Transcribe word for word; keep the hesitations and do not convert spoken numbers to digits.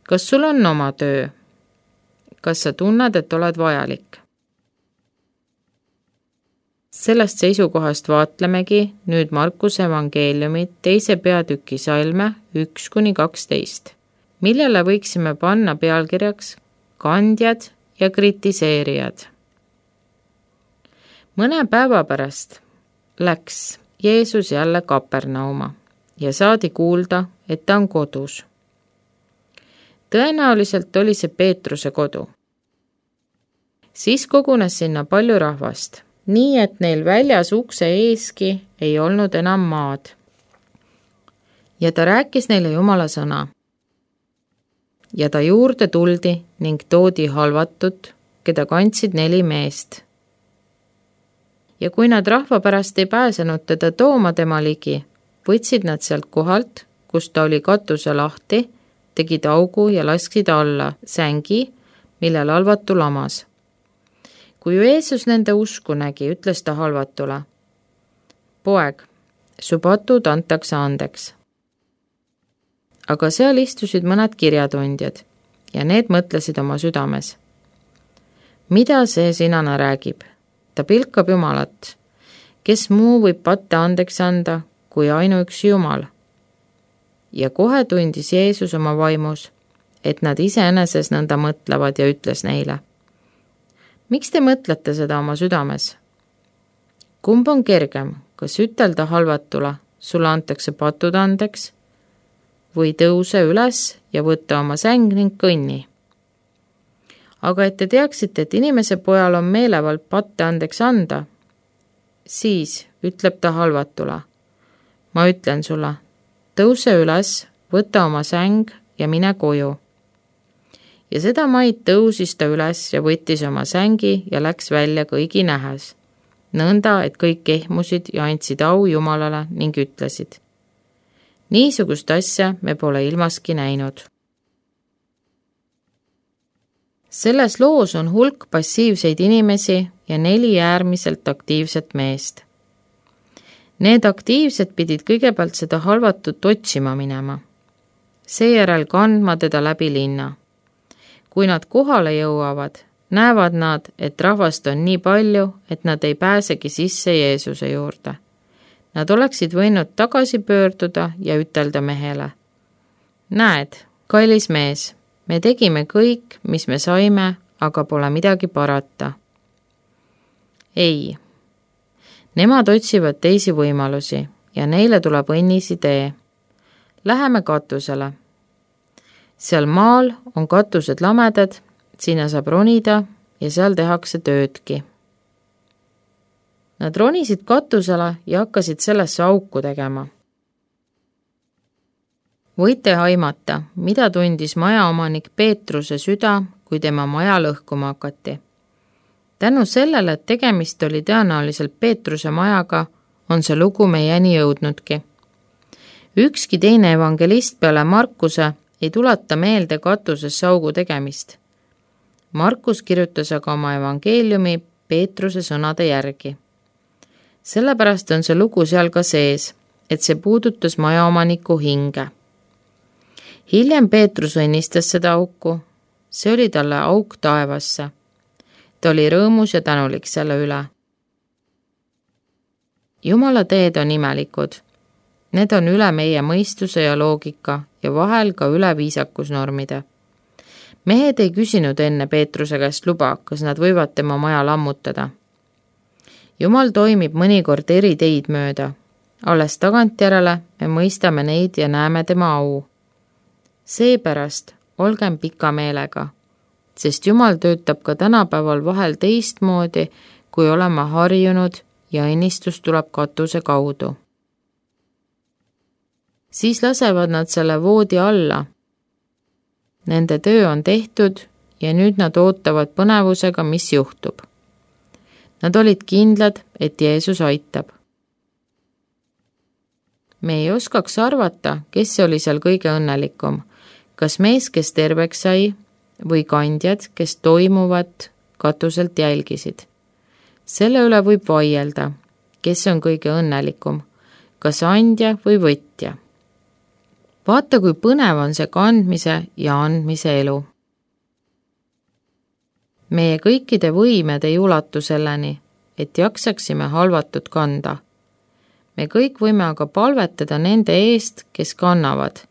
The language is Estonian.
kas sul on oma töö? Kas sa tunned, et oled vajalik? Sellest seisukohast vaatlemegi nüüd Markuse evangeeliumi teise peatüki salme üks kuni kaksteist, millele võiksime panna pealkirjaks kandjad ja kritiseerijad. Mõne päeva pärast läks Jeesus jälle Kapernauma ja saadi kuulda, et ta on kodus. Tõenäoliselt oli see Peetruse kodu. Siis kogunes sinna palju rahvast, nii et neil väljas ukse eeski ei olnud enam maad. Ja ta rääkis neile Jumala sõna. Ja ta juurde tuldi ning toodi halvatut, keda kandsid neli meest. Ja kui nad rahva pärast ei pääsenud teda tooma tema ligi, võtsid nad sealt kohalt, kus ta oli katuse lahti, tegid augu ja lasksid alla sängi, millel halvatu lamas. Kui Jeesus nende usku nägi, ütles ta halvatule: poeg, su patud antakse andeks. Aga seal istusid mõned kirjatundjad ja need mõtlesid oma südames: mida see sinane räägib? Ta pilkab Jumalat. Kes muu võib patte andeks anda, kui ainuüksi Jumal? Ja kohe tundis Jeesus oma vaimus, et nad iseeneses nõnda mõtlevad ja ütles neile: miks te mõtlete seda oma südames? Kumb on kergem, kas ütelda halvatule, sulle antakse patud andeks, või tõuse üles ja võtta oma säng ning kõnni? Aga et te teaksite, et inimese pojal on meelevald patte andeks anda, siis ütleb ta halvatule: ma ütlen sulle, tõuse üles, võta oma säng ja mine koju. Ja seda maid tõusis ta üles ja võttis oma sängi ja läks välja kõigi nähes, nõnda, et kõik ehmusid ja andsid au Jumalale ning ütlesid: niisugust asja me pole ilmaski näinud. Selles loos on hulk passiivseid inimesi ja neli äärmiselt aktiivset meest. Need aktiivsed pidid kõigepealt seda halvatut otsima minema, seejärel kandma teda läbi linna. Kui nad kohale jõuavad, näevad nad, et rahvast on nii palju, et nad ei pääsegi sisse Jeesuse juurde. Nad oleksid võinud tagasi pöörduda ja ütelda mehele: näed, kallis mees, me tegime kõik, mis me saime, aga pole midagi parata. Ei, nemad otsivad teisi võimalusi ja neile tuleb õnnis idee. Läheme katusele. Seal maal on katused lamedad, sinna saab ronida ja seal tehakse töödki. Nad ronisid katusele ja hakkasid sellesse auku tegema. Võite aimata, mida tundis majaomanik Peetruse süda, kui tema maja lõhkuma hakati. Tänu sellele, et tegemist oli tõenäoliselt Peetruse majaga, on see lugu meieni jõudnudki. Ükski teine evangelist peale Markuse ei tuleta meelde katuses augu tegemist. Markus kirjutas aga oma evangeeliumi Peetruse sõnade järgi. Sellepärast on see lugu seal ka sees, et see puudutas majaomaniku hinge. Hiljem Peetrus õnnistas seda auku, see oli talle auk taevasse. Ta oli rõõmus ja tänulik selle üle. Jumala teed on imelikud. Need on üle meie mõistuse ja loogika ja vahel ka üle viisakusnormide. Mehed ei küsinud enne Peetruse käest luba, kas nad võivad tema maja lammutada. Jumal toimib mõnikord eri teid mööda. Alles tagantjärele me mõistame neid ja näeme tema au. Seepärast olgem pika meelega, sest Jumal töötab ka tänapäeval vahel teistmoodi, kui olema harjunud ja õnnistus tuleb katuse kaudu. Siis lasevad nad selle voodi alla. Nende töö on tehtud ja nüüd nad ootavad põnevusega, mis juhtub. Nad olid kindlad, et Jeesus aitab. Me ei oskaks arvata, kes oli seal kõige õnnelikum, kas mees, kes terveks sai, või kandjad, kes toimuvat katuselt jälgisid. Selle üle võib vaielda, kes on kõige õnnelikum, kas andja või võtja. vaata, kui põnev on see kandmise ja andmise elu. Meie kõikide võimed ei ulatu selleni, et jaksaksime halvatut kanda. Me kõik võime aga palvetada nende eest, kes kannavad,